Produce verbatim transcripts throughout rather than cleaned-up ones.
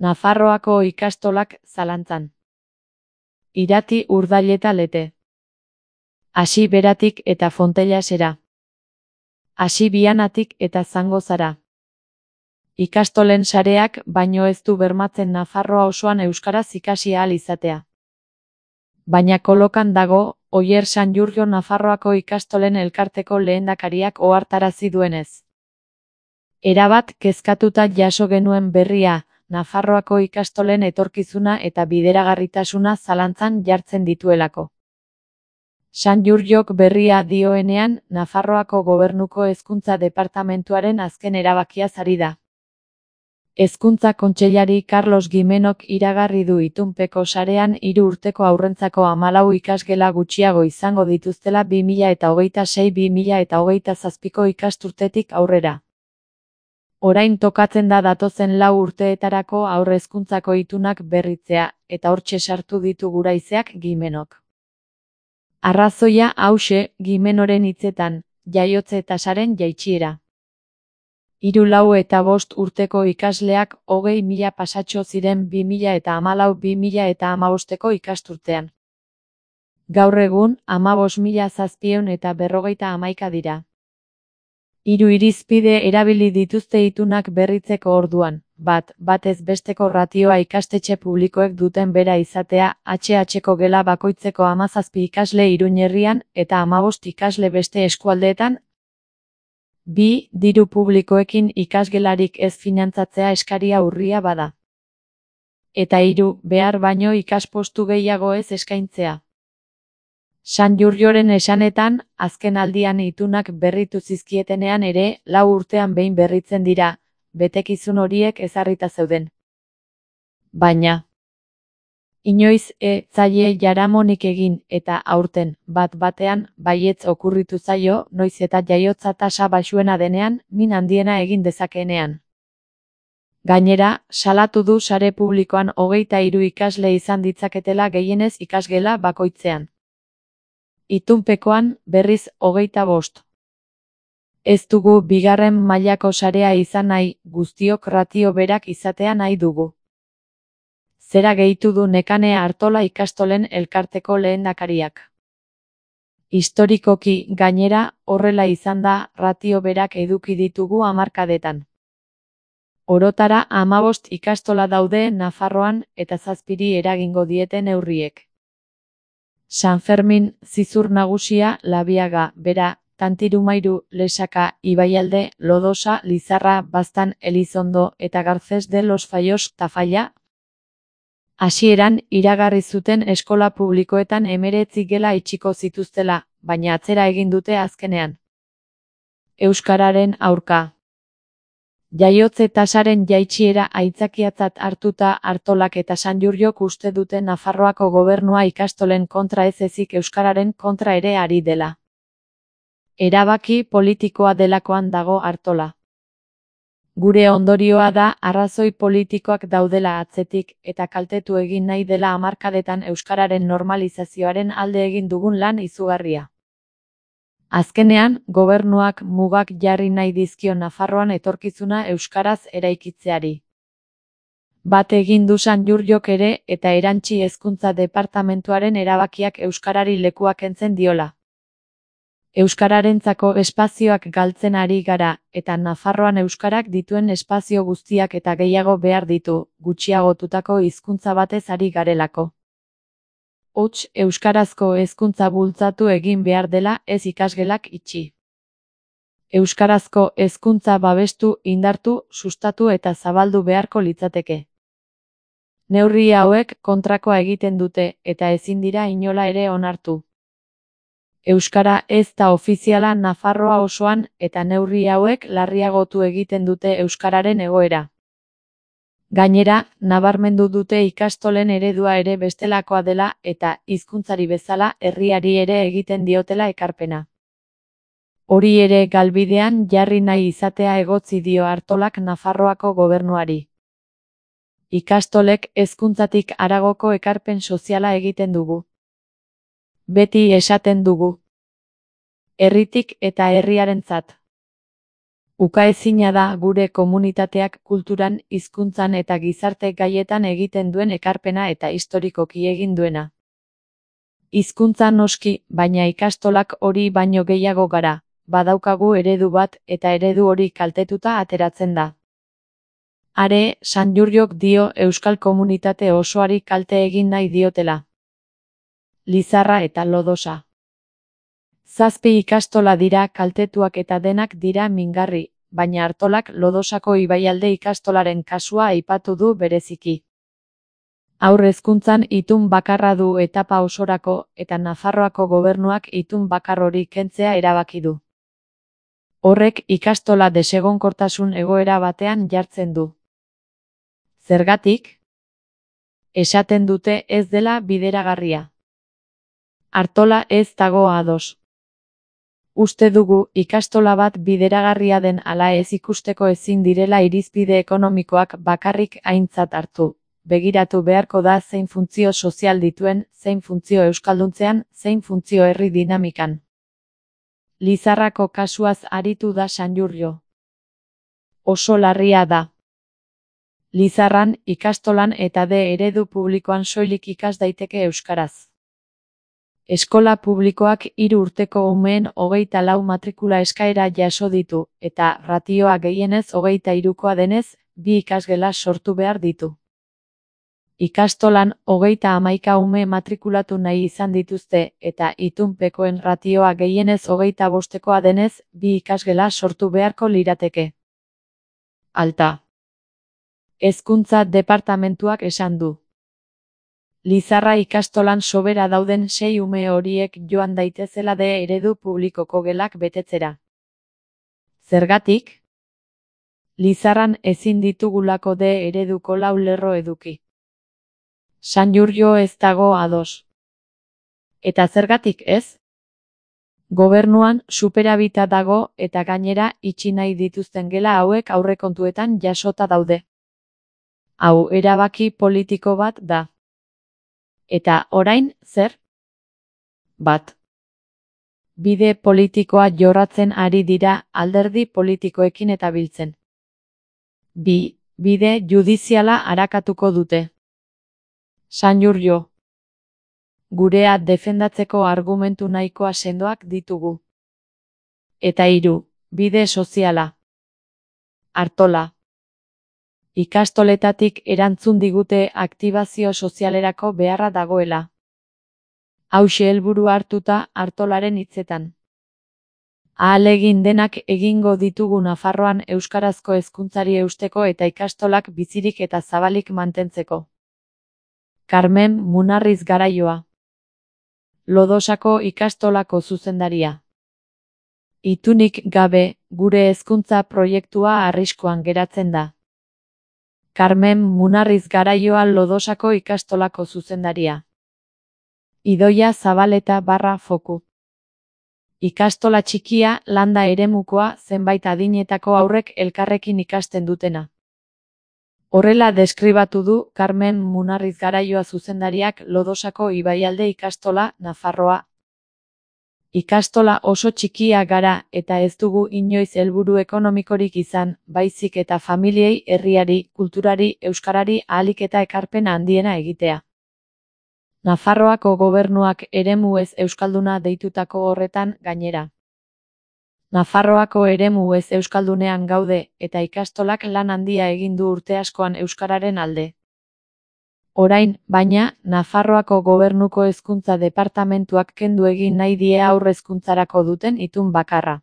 Nafarroako ikastolak zalantzan. Irati Urdaileta Lete. Hasi beratik eta Fontellasera. Hasi Bianatik eta Zangozara. Ikastolen sareak baino ez du bermatzen Nafarroa osoan euskaraz ikasi ahal izatea. Baina kolokan dago, Oier Sanjurjo Nafarroako ikastolen elkarteko lehendakariak ohartarazi duenez. Erabat kezkatuta jaso genuen berria, Nafarroako ikastolen etorkizuna eta bideragarritasuna zalantzan jartzen dituelako. Sanjurjok berria dioenean, Nafarroako Gobernuko Hezkuntza Departamentuaren azken erabakiaz ari da. Hezkuntza Kontseilari Carlos Gimenok iragarri du itunpeko sarean hiru urteko haurrentzako hamalau ikasgela gutxiago izango dituztela bi mila hogeita sei bi mila hogeita zazpiko ikasturtetik aurrera. Orain tokatzen da datozen lau urteetarako haur hezkuntzako itunak berritzea, eta hortxe sartu ditu guraizeak Gimenok. Arrazoia hauxe, Gimenoren hitzetan, jaiotze tasaren jaitsiera. Hiru lau eta bost urteko ikasleak hogei mila pasatxo ziren bi mila hamalau bi mila hamabosteko ikasturtean. Gaur egun, hamabost mila zazpiehun eta berrogeita hamaika dira. Hiru irizpide erabili dituzte itunak berritzeko orduan, bat, batez besteko ratioa ikastetxe publikoek duten bera izatea, H H-ko gela bakoitzeko hamazazpi ikasle Iruñerrian eta hamabost ikasle beste eskualdeetan. Bi, diru publikoekin ikasgelarik ez finantzatzea eskaria urria bada. Eta hiru, behar baino ikaspostu gehiago ez eskaintzea. Sanjurjoren esanetan, azken aldian itunak berritu zizkietenean ere, lau urtean behin berritzen dira, betekizun horiek ezarrita zeuden. Baina, inoiz e zaie jaramonik egin eta aurten, bat batean, baietz okurritu zaio, noiz eta jaiotza tasa baxuena denean, min handiena egin dezakeenean. Gainera, salatu du sare publikoan hogeita hiru ikasle izan ditzaketela gehienez ikasgela bakoitzean. Itunpekoan, berriz, hogeita bost. Ez dugu bigarren mailako sarea izan nahi, guztiok ratio berak izatea nahi dugu. Zera gehitu du Nekane Artola ikastolen elkarteko lehendakariak. Historikoki, gainera, horrela izan da, ratio berak eduki ditugu hamarkadetan. Orotara hamabost ikastola daude Nafarroan eta zazpiri eragingo dieten neurriek. San Fermin, Zizur Nagusia, Labiaga, Bera, Tantirumairu, Lesaka, Ibaialde, Lodosa, Lizarra, Baztan, Elizondo eta Garcés de los Fallos, Tafalla. Hasieran, iragarri zuten eskola publikoetan hemeretzi gela itxiko zituztela, baina atzera egin dute azkenean. Euskararen aurka. Jaiotze tasaren jaitsiera aitzakiatzat hartuta Artolak eta Sanjurjok uste dute Nafarroako gobernua ikastolen kontra ez ezik euskararen kontra ere ari dela. Erabaki politikoa delakoan dago Artola. Gure ondorioa da arrazoi politikoak daudela atzetik eta kaltetu egin nahi dela hamarkadetan euskararen normalizazioaren alde egin dugun lan izugarria. Azkenean, gobernuak mugak jarri nahi dizkio Nafarroan etorkizuna euskaraz eraikitzeari. Bat egin du Sanjurjok ere eta erantsi hezkuntza departamentuaren erabakiak euskarari lekua kentzen diola. Euskararentzako espazioak galtzen ari gara, eta Nafarroan euskarak dituen espazio guztiak eta gehiago behar ditu, gutxiagotutako hizkuntza batez ari garelako. Hots, euskarazko hezkuntza bultzatu egin behar dela ez ikasgelak itxi. Euskarazko hezkuntza babestu, indartu, sustatu eta zabaldu beharko litzateke. Neurri hauek kontrakoa egiten dute eta ezin dira inola ere onartu. Euskara ez da ofiziala Nafarroa osoan eta neurri hauek larriagotu egiten dute euskararen egoera. Gainera, nabarmendu dute ikastolen eredua ere bestelakoa dela eta hizkuntzari bezala herriari ere egiten diotela ekarpena. Hori ere galbidean jarri nahi izatea egotzi dio Artolak Nafarroako gobernuari. Ikastolek hezkuntzatik haragoko ekarpen soziala egiten dugu. Beti esaten dugu. Herritik eta herriarentzat. Ukaezina da gure komunitateak kulturan, hizkuntzan eta gizarte gaietan egiten duen ekarpena eta historikoki egin duena. Hizkuntza noski, baina ikastolak hori baino gehiago gara, badaukagu eredu bat eta eredu hori kaltetuta ateratzen da. Are, Sanjurjok dio euskal komunitate osoari kalte egin nahi diotela. Lizarra eta Lodosa. Zazpi ikastola dira kaltetuak eta denak dira mingarri, baina Artolak Lodosako ibaialde ikastolaren kasua aipatu du bereziki. Haur hezkuntzan itun bakarra du etapa osorako eta Nafarroako gobernuak itun bakar hori kentzea erabaki du. Horrek ikastola desegonkortasun egoera batean jartzen du. Zergatik? Esaten dute ez dela bideragarria. Artola ez dago ados. Uste dugu ikastola bat bideragarria den ala ez ikusteko ezin direla irizpide ekonomikoak bakarrik aintzat hartu. Begiratu beharko da zein funtzio sozial dituen, zein funtzio euskalduntzean, zein funtzio herri dinamikan. Lizarrako kasuaz aritu da Sanjurjo. Oso larria da. Lizarran, ikastolan eta de eredu publikoan soilik ikas daiteke euskaraz. Eskola publikoak hiru urteko umeen hogeita lau matrikula eskaera jaso ditu, eta ratioa gehienez hogeita hirukoa denez, bi ikasgela sortu behar ditu. Ikastolan hogeita hamaika ume matrikulatu nahi izan dituzte, eta itunpekoen ratioa gehienez hogeita bostekoa denez, bi ikasgela sortu beharko lirateke. Alta. Hezkuntza departamentuak esan du. Lizarra ikastolan sobera dauden sei ume horiek joan daitezela de eredu publikoko gelak betetzera. Zergatik? Lizarran ezin ditugulako de ereduko lau lerro eduki. Sanjurjo ez dago ados. Eta zergatik ez? Gobernuan superabita dago eta gainera itxi nahi dituzten gela hauek aurrekontuetan jasota daude. Hau erabaki politiko bat da. Eta orain, zer? Bat. Bide politikoa jorratzen ari dira alderdi politikoekin eta biltzen. Bi. Bide judiziala arakatuko dute. Sanjurjo. Gurea defendatzeko argumentu nahikoa sendoak ditugu. Eta hiru. Bide soziala. Artola. Ikastoletatik erantzun digute aktibazio sozialerako beharra dagoela. Hauxe helburu hartuta Artolaren hitzetan. Ahalegin denak egingo ditugu Nafarroan euskarazko hezkuntzari eusteko eta ikastolak bizirik eta zabalik mantentzeko. Carmen Munarriz Garaioa. Lodosako ikastolako zuzendaria. Itunik gabe, gure hezkuntza proiektua arriskuan geratzen da. Carmen Munarriz Garaioa Lodosako ikastolako zuzendaria. Idoia Zabaleta barra foku. Ikastola txikia, landa eremukoa, zenbait adinetako aurrek elkarrekin ikasten dutena. Horrela deskribatu du Carmen Munarriz Garaioa zuzendariak Lodosako ibaialde ikastola, Nafarroa. Ikastola oso txikia gara eta ez dugu inoiz helburu ekonomikorik izan, baizik eta familiei, herriari, kulturari, euskarari ahalik eta ekarpen handiena egitea. Nafarroako gobernuak eremu ez euskalduna deitutako horretan gainera. Nafarroako eremu ez euskaldunean gaude eta ikastolak lan handia egin du urte askoan euskararen alde. Orain, baina, Nafarroako gobernuko hezkuntza departamentuak kendu egin nahi die haur hezkuntzarako duten itun bakarra.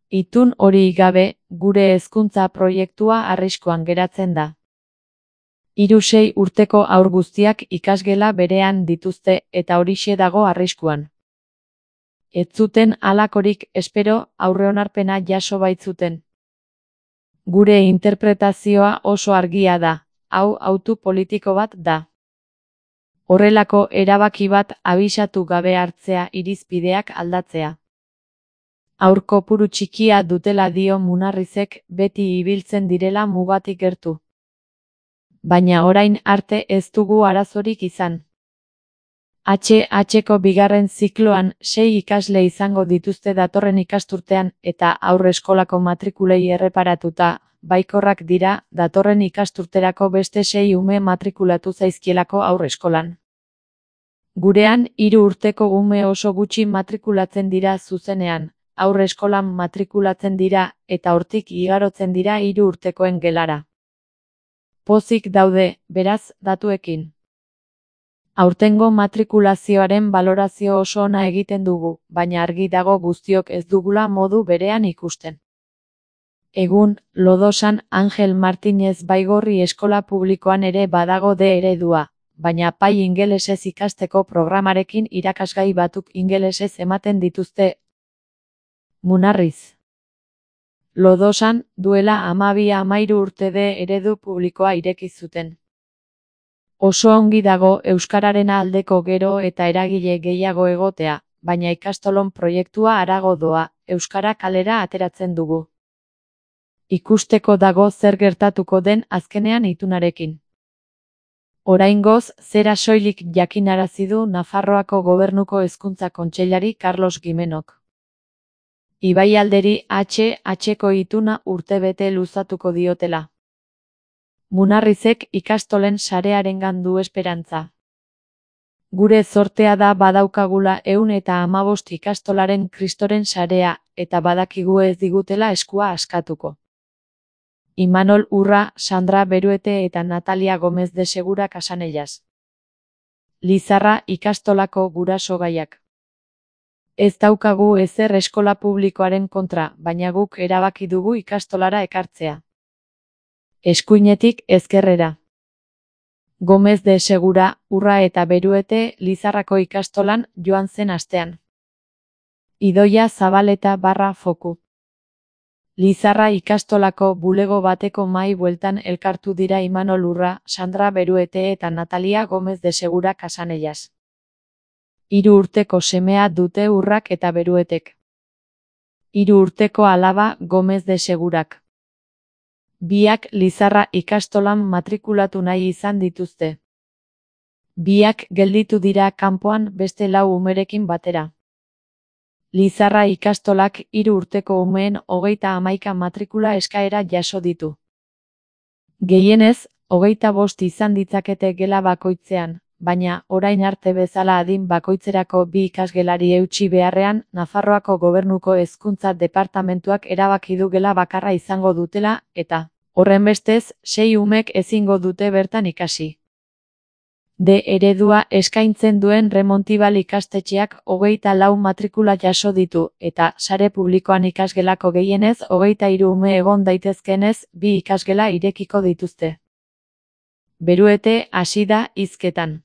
Itun hori gabe, gure hezkuntza proiektua arriskuan geratzen da. Hiru sei urteko haur guztiak ikasgela berean dituzte eta horixe dago arriskuan. Ez zuten halakorik espero, aurreonarpena jaso baitzuten. Gure interpretazioa oso argia da. Hau autu politiko bat da. Horrelako erabaki bat abisatu gabe hartzea irizpideak aldatzea. Haur kopuru txikia dutela dio Munarrizek beti ibiltzen direla mugatik gertu. Baina orain arte ez dugu arazorik izan. H H-ko bigarren zikloan sei ikasle izango dituzte datorren ikasturtean eta haurreskolako matrikulei erreparatuta, baikorrak dira datorren ikasturterako beste sei ume matrikulatu zaizkielako haurreskolan. Gurean, hiru urteko ume oso gutxi matrikulatzen dira zuzenean, haurreskolan matrikulatzen dira eta hortik igarotzen dira hiru urtekoen gelara. Pozik daude, beraz, datuekin. Aurtengo matrikulazioaren balorazio oso ona egiten dugu, baina argi dago guztiok ez dugula modu berean ikusten. Egun, Lodosan Angel Martinez Baigorri eskola publikoan ere badago D eredua, baina pai ingelesez ikasteko programarekin irakasgai batuk ingelesez ematen dituzte. Munarriz. Lodosan, duela hamabi hamahiru urte D eredu publikoa ireki zuten. Oso ongi dago euskararen aldeko gero eta eragile gehiago egotea, baina ikastolon proiektua harago doa, euskara kalera ateratzen dugu. Ikusteko dago zer gertatuko den azkenean itunarekin. Oraingoz, zera soilik jakinarazi du Nafarroako Gobernuko Hezkuntza Kontseilari Carlos Gimenok. Ibaialderi H H-ko ituna urtebete luzatuko diotela. Munarrizek ikastolen sarearengan du esperantza. Gure zortea da badaukagula ehun eta hamabost ikastolaren kristoren sarea, eta badakigu ez digutela eskua askatuko. Imanol Urra, Sandra Beruete eta Natalia Gomez de Segura Casanellas. Lizarra ikastolako guraso gaiak. Ez daukagu ezer eskola publikoaren kontra, baina guk erabaki dugu ikastolara ekartzea. Eskuinetik ezkerrera. Gomez de Segura, Urra eta Beruete Lizarrako ikastolan joan zen astean. Idoia Zabaleta barra foku. Lizarra ikastolako bulego bateko mahai bueltan elkartu dira Imanol Urra, Sandra Beruete eta Natalia Gomez de Segura Casanellas. Hiru urteko semea dute Urrak eta Beruetek. Hiru urteko alaba Gomez de Segurak. Biak Lizarra ikastolan matrikulatu nahi izan dituzte. Biak gelditu dira kanpoan beste lau umerekin batera. Lizarra ikastolak hiru urteko umeen hogeita hamaika matrikula eskaera jaso ditu. Gehienez, hogeita bost izan ditzakete gela bakoitzean, baina orain arte bezala adin bakoitzerako bi ikasgelari eutsi beharrean, Nafarroako Gobernuko Hezkuntza Departamentuak erabaki du gela bakarra izango dutela, eta, horrenbestez, sei umek ezingo dute bertan ikasi. D eredua eskaintzen duen Remontibal ikastetxeak hogeita lau matrikula jaso ditu, eta sare publikoan ikasgelako gehienez hogeita hiru ume egon daitezkenez, bi ikasgela irekiko dituzte. Beruete hasi da hizketan.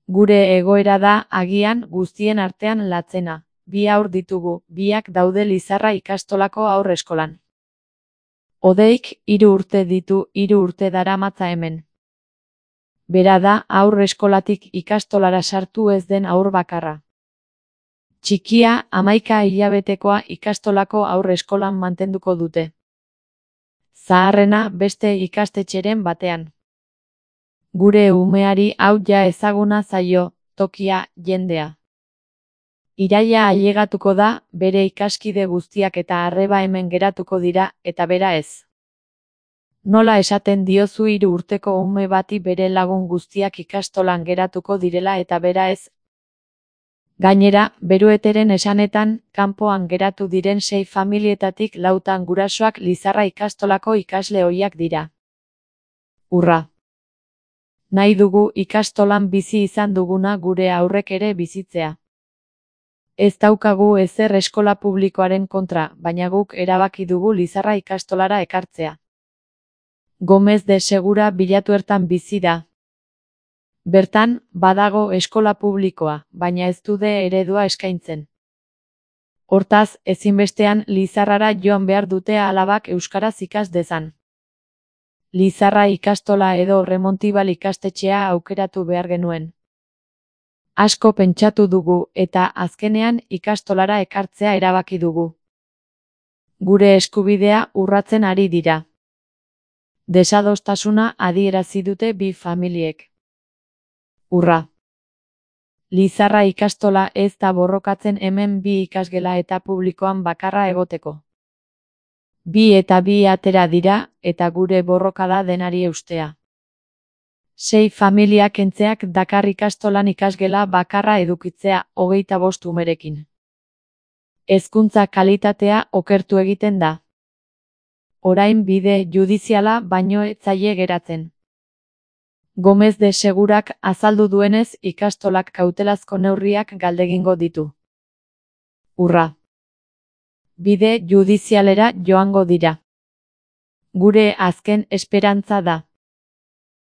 Gure egoera da agian guztien artean latzena. Bi haur ditugu, biak daude Lizarra ikastolako haurreskolan. Odeik hiru urte ditu, hiru urte daramatza hemen. Bera da haur eskolatik ikastolara sartu ez den haur bakarra. Txikia hamaika hilabetekoa ikastolako haur eskolan mantenduko dute. Zaharrena beste ikastetxeren batean. Gure umeari hau ja ezaguna zaio, tokia, jendea. Iraila ailegatuko da, bere ikaskide guztiak eta arreba hemen geratuko dira, eta bera ez. Nola esaten diozu hiru urteko ume bati bere lagun guztiak ikastolan geratuko direla eta bera ez? Gainera, Berueteren esanetan, kanpoan geratu diren sei familietatik lautan gurasoak Lizarra ikastolako ikasle ohiak dira. Urra. Nahi dugu ikastolan bizi izan duguna gure aurrek ere bizitzea. Ez daukagu ezer eskola publikoaren kontra, baina guk erabaki dugu Lizarra ikastolara ekartzea. Gomez de Segura bilatu ertan bizi da. Bertan, badago eskola publikoa, baina ez du D eredua eskaintzen. Hortaz, ezinbestean Lizarrara joan behar dute alabak euskaraz ikas dezan. Lizarra ikastola edo Remontibal ikastetxea aukeratu behar genuen. Asko pentsatu dugu eta azkenean ikastolara ekartzea erabaki dugu. Gure eskubidea urratzen ari dira. Desadostasuna adierazi dute bi familiek. Urra. Lizarra ikastola ez da borrokatzen hemen bi ikasgela eta publikoan bakarra egoteko. Bi eta bi atera dira, eta gure borroka da denari eustea. Sei familia kentzeak dakar ikastolan ikasgela bakarra edukitzea hogeita bost umerekin. Hezkuntza kalitatea okertu egiten da. Orain bide judiziala baino ez zaie geratzen. Gomez de Segurak azaldu duenez ikastolak kautelazko neurriak galdegingo ditu. Urra. Bide judizialera joango dira. Gure azken esperantza da.